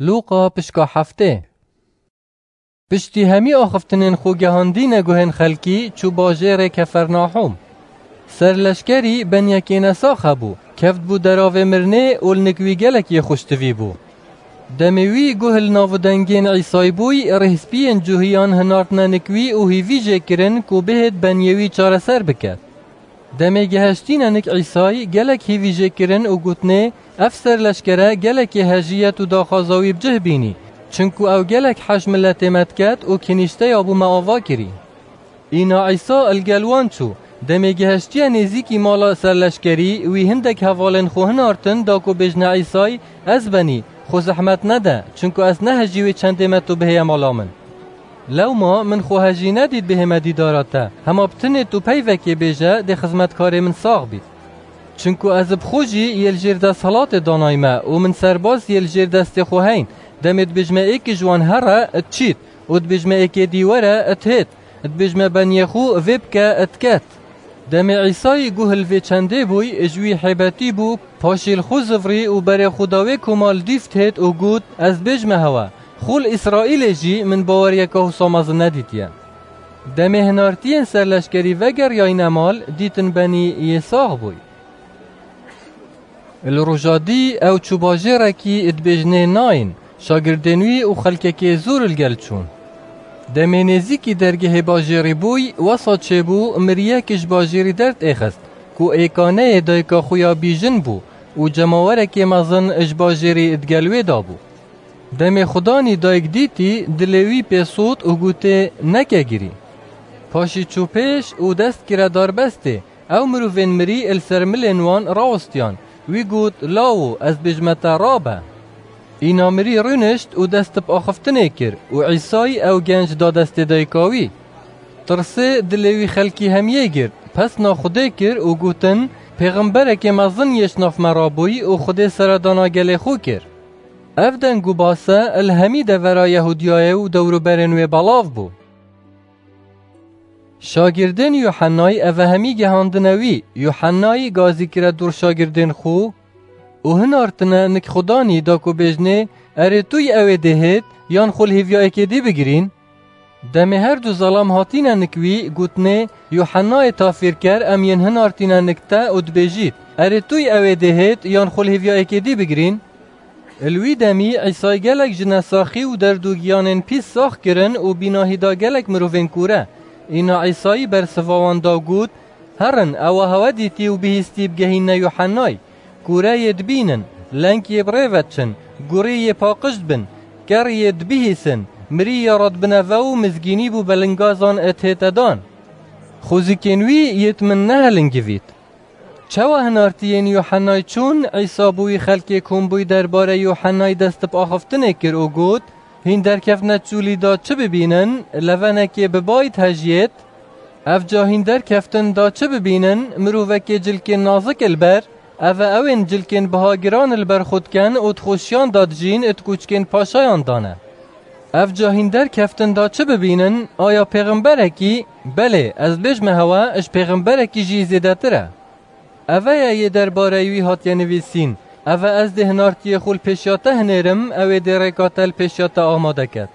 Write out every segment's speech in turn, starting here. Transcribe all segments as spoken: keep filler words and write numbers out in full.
Lûqa pişka heftê. Piştî hemî axiftinên xwe gehandîne guhên xelkî, çû bajêrê Kefernahûm. Serleşkerî benyekê nesax hebû, kevt bû deravê mirinê û li nik wî gelek yê xweştivî bû. Demê wî guh li nav û dengên Îsay bûy, rêhspiyên cuhiyan hinartine nik wî û hîvî jê kirin ku bihêt benyê wî çareser biket. Demê gihiştîne nik Îsay, gelek hîvî jê kirin û gotinê, ev serleşkere gelekê hejî ye û daxwaza wî bi cih bînî, çinku ew gelek hej miletê me diket û kinîşteya bo me ava kirî. Îna Îsa li gel wan çû. Demê gihiştiye nêzîkî mala serleşkerî, wî hindek hevalên xwe hinartin da ku bêjne Îsay, ez benî, xwe zehmet nede, çinku ez ne hejî wê çendê me tu bihêye mala min. Lewma min xwe hejî nedît bihême dîdara te, hema bi tinê tu peyvekê bêje, dê xizmetkarê min sax bît. Çinku ez bi xwe jî yê li jêr desthilatê danayme û min serbaz yê li jêr destê xwe heyn. Demê dibêjme êkê ji wan here, diçît û dibêjme êkê dî were, dihêt. Dibêjme beniyê xwe vê bike, diket. Demê Îsayî guh li vê çendê bûy, ji wî hêbetî bû, paşî li xwe zivrî û berê xwe da wê koma li dîv dihêt û got, ez dibêjme hewe, xwe li Îsraîlê jî min baweriyeke wisa mezin nedîtiye. Demê hinartiyên serleşkerî vegeriyayne mal, dîtin benî yê sax bûy. Li roja dî ew çû bajêrekî dibêjinê Nayin, şagirdên wî û xelkekê zor li gel çûn. Demê nêzîkî dergehê bajêrî bûy, wesa çêbû, miriyek ji bajêrî derdêxist, ku ê kaneyê dayika xwe ya bîjin bû û cemawerekê mezin ji bajêrî di gel wê de bû. Demê xudanî dayik dîtî, dilê wî pê sot û gotê, neke girî. Paşî çû pêş û dest kire darbestê, ew mirovên mirî li ser milên wan rawistiyan. Wî got, lawo, ez dibêjme te, rabe. Îna mirî rûnişt û dest bi axiftinê kir û Îsay ew genc da destê dayika wî. Tirsê dilê wî xelkî hemiyê girt, pesna Xwedê kir û gotin, pêxemberekê mezin yê ji nav me rabûy û Xwedê seredana gelê xwe kir. Ev deng û base li hemî devera Yehûdiyayê û dewroberên wê belav bû. Şagirdên Yuhennayî eve hemî gehandine wî. Yuhennayî gazî kire dûr şagirdên xwe û hinartine nik Xudanî da ku bêjnê, erê tu yî ew ê dê hêt, yan xwe li hêviya êkê dî bigirîn? Demê her du zelam hatîne nik wî, gotinê, Yuhennayê tafîrker em yên hinartîne nik te û dibêjît, erê tu yî ew ê dê hêt, yan xwe li hêviya êkê dî bigirîn? Li wî demî Îsay gelek ji nesaxî û derd û giyanên pîs sax kirin û bînahî da gelek mirovên kûre. Îna Îsayî bersiva wan da û got, herin, ewa hewe dîtî û bihîstî bigehîne Yuhennay. Kûre yê dibînin, leng yê bi rê ve diçin, gurî yê paqij dibin, ker yê dibihîsin, mirî yê radibine ve û mizgînî bo belingazan dihête dan. Xwezikên wî yê di min nehelingivît. Çawa hinartiyên Yuhennay çûn, Îsa bo wî xelkê kom bûy derbarê Yuhennay dest bi axiftinê kir û got, hîn derkevtine çûlî da çi bibînin, levenekê bi bay dihejiyêt? Evca hîn derkeftin da çi bibînin, mirovekê cilkên nazik li ber, eve ew ên cilkên biha giran li ber xwe dikin û di xweşiyan da dijîn, di koçkên paşayan da ne. Evca hîn derkeftin da çi bibînin, aya pêxemberekî? Belê, ez dibêjme hewe, ji pêxemberekî jî zêdetir e. Eve ye yê derbareyî wî hatiye nivîsîn, eve ez dê hinartiyê xwe li pêşiya te hinêrim, ew ê dê rêka te li pêşiya te amade ket.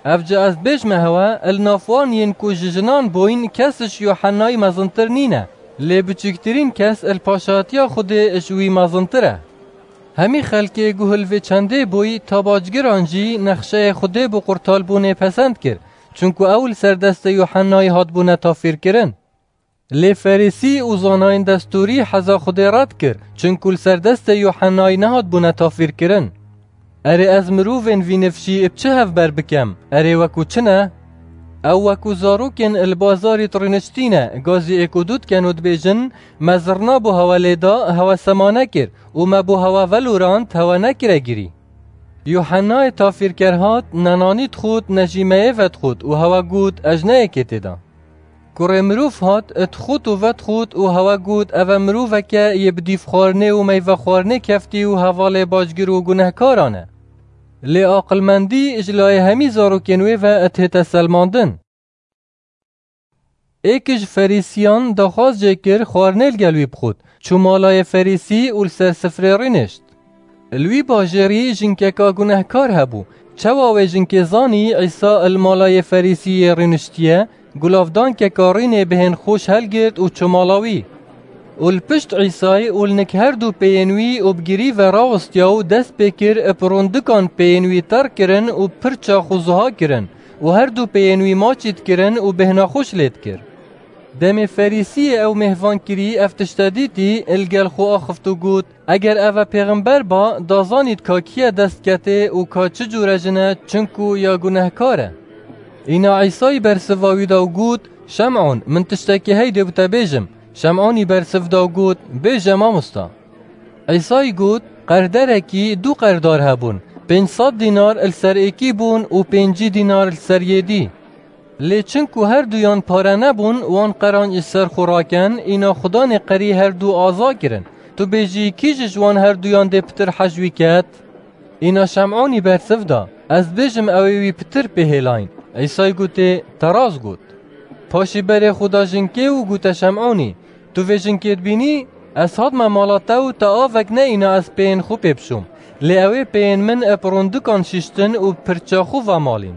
Evca ez dibêjme hewe, li nav wan yên ku ji jinan bûyn, kes ji Yuhennayî mezintir nîne, lê biçûktirîn kes li paşatiya Xwedê ji wî mezintir e. Hemî xelkê guh li vê çendê bûy, ta bacgiran jî nexşeyê Xwedê bo qurtalbûnê pesend kir, çunku ew li ser destê Yuhennayî hatbûne tafîrkirin. Lê Ferîsî û zanayên destûrî heza Xwedê red kir, çunku li ser destê Yuhennayî nehatbûne tafîrkirin. Erê, ez mirovên vî nifşî bi çi hevber bikem? Erê, wekû çi ne? Ew wekû zarokên li bazarî di rûniştî ne, gazî êk û du dikin û dibêjin, me zirna bo hewe lê da, hewe sema nekir û me bo hewe velorand, hewe nekire girî. Yuhennayê tafîrker hat, ne nanî dixwit, ne jî meyê vedixwit û hewe got, ez ji ne yekê tê de. Kurê mirov hat, dixwit û vedixwit û hewe got, ev e miroveke yê bi dîvxwarinê û meyvexwarinê keftî û hevalê bacgir û gunehkaran e. Lê aqilmendî ji layê hemî zarokên wê ve dihête selmandin. Êk ji Ferîsiyan daxwaz jê kir xwarinê li gel wî bixwit. Çû mala yê Ferîsî û li ser sifrê rûnişt. Li wî bajêrî jinkeka gunehkar hebû. Çawa wê jinkê zanî Îsa li mala yê Ferîsiyê rûniştiye, gulavdankeka rûnê bihên xweş helgirt û çû mala wî. Û li pişt Îsayê û li nik her du pêyên wî û bi girî ve rawistiya û dest pê kir bi rûndikan pêyên wî ter kirin û pir çax û zuha kirin û her du pêyên wî maçî dikirin û bêhna xweş lê dikir. Demê Ferîsiyê ew mêhvankirî ev tişte dîtî, li gel xwe axift û got, Eger ev e pêxember ba, da zanît ka kî ye dest ketê û ka çi cûre jin e, çinku ya gunehkar e. Îna Îsayî bersiva wî da û got, Şem'on, min tiştekî heydê bi te bêjim. Şem'onî bersiv da û got, Bêje, mamosta. Îsayî got, Qerderekî du qerdar hebûn. Pênc sed dînar li ser êkî bûn û pêncî dînar li ser yê dî. Lê çinku her duyan pare nebûn, wan qeranc ji ser xwe raken, îna xudanê qerî her du aza kirin. Tu bêjî, kî ji wan her duyan dê pitir hej wî ket? Îna Şem'onî bersiv da, Ez dibêjim, ew ê wî pitir pê hêlayîn. Îsayî gotê, Te rast got. Paşî berê xwe da jinkê û gote Şem'onî, Tu vê jinkê dibînî? Ez hatime mala te û te avek ne îna ez pêyên xwe pê bişûm. Lê ew ê pêyên min bi rûndikan şiştin û pirça xwe vemalîn.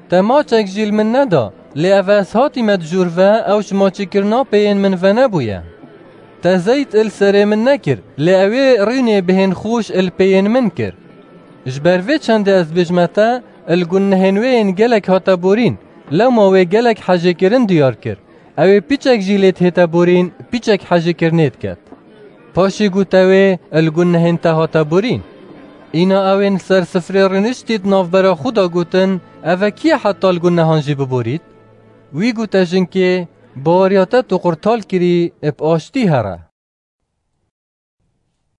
Te maçek jî li min neda, lê ev ez hatîme di jûr ve, ew ji maçîkirina pêyên min venebûye. Te zeyt li serê min nekir, lê ew ê rûnê bihên xweş li pêyên min kir. Ji ber vê çendê ez dibêjime te, li gunehên wê yên gelek hate borîn, lewma wê gelek hejêkirin diyar kir. Ew ê piçek jî lê dihête borîn, piçek hejêkirinê diket. Paşî gote wê, Li gunehên te hate borîn. Îna ew ên li ser sifrê rûniştî di navbera xwe de gotin, Ev e kî ye heta li gunehan jî biborît? Wî gote jinkê, Baweriya te tu qurtal kirî, bi aştî here.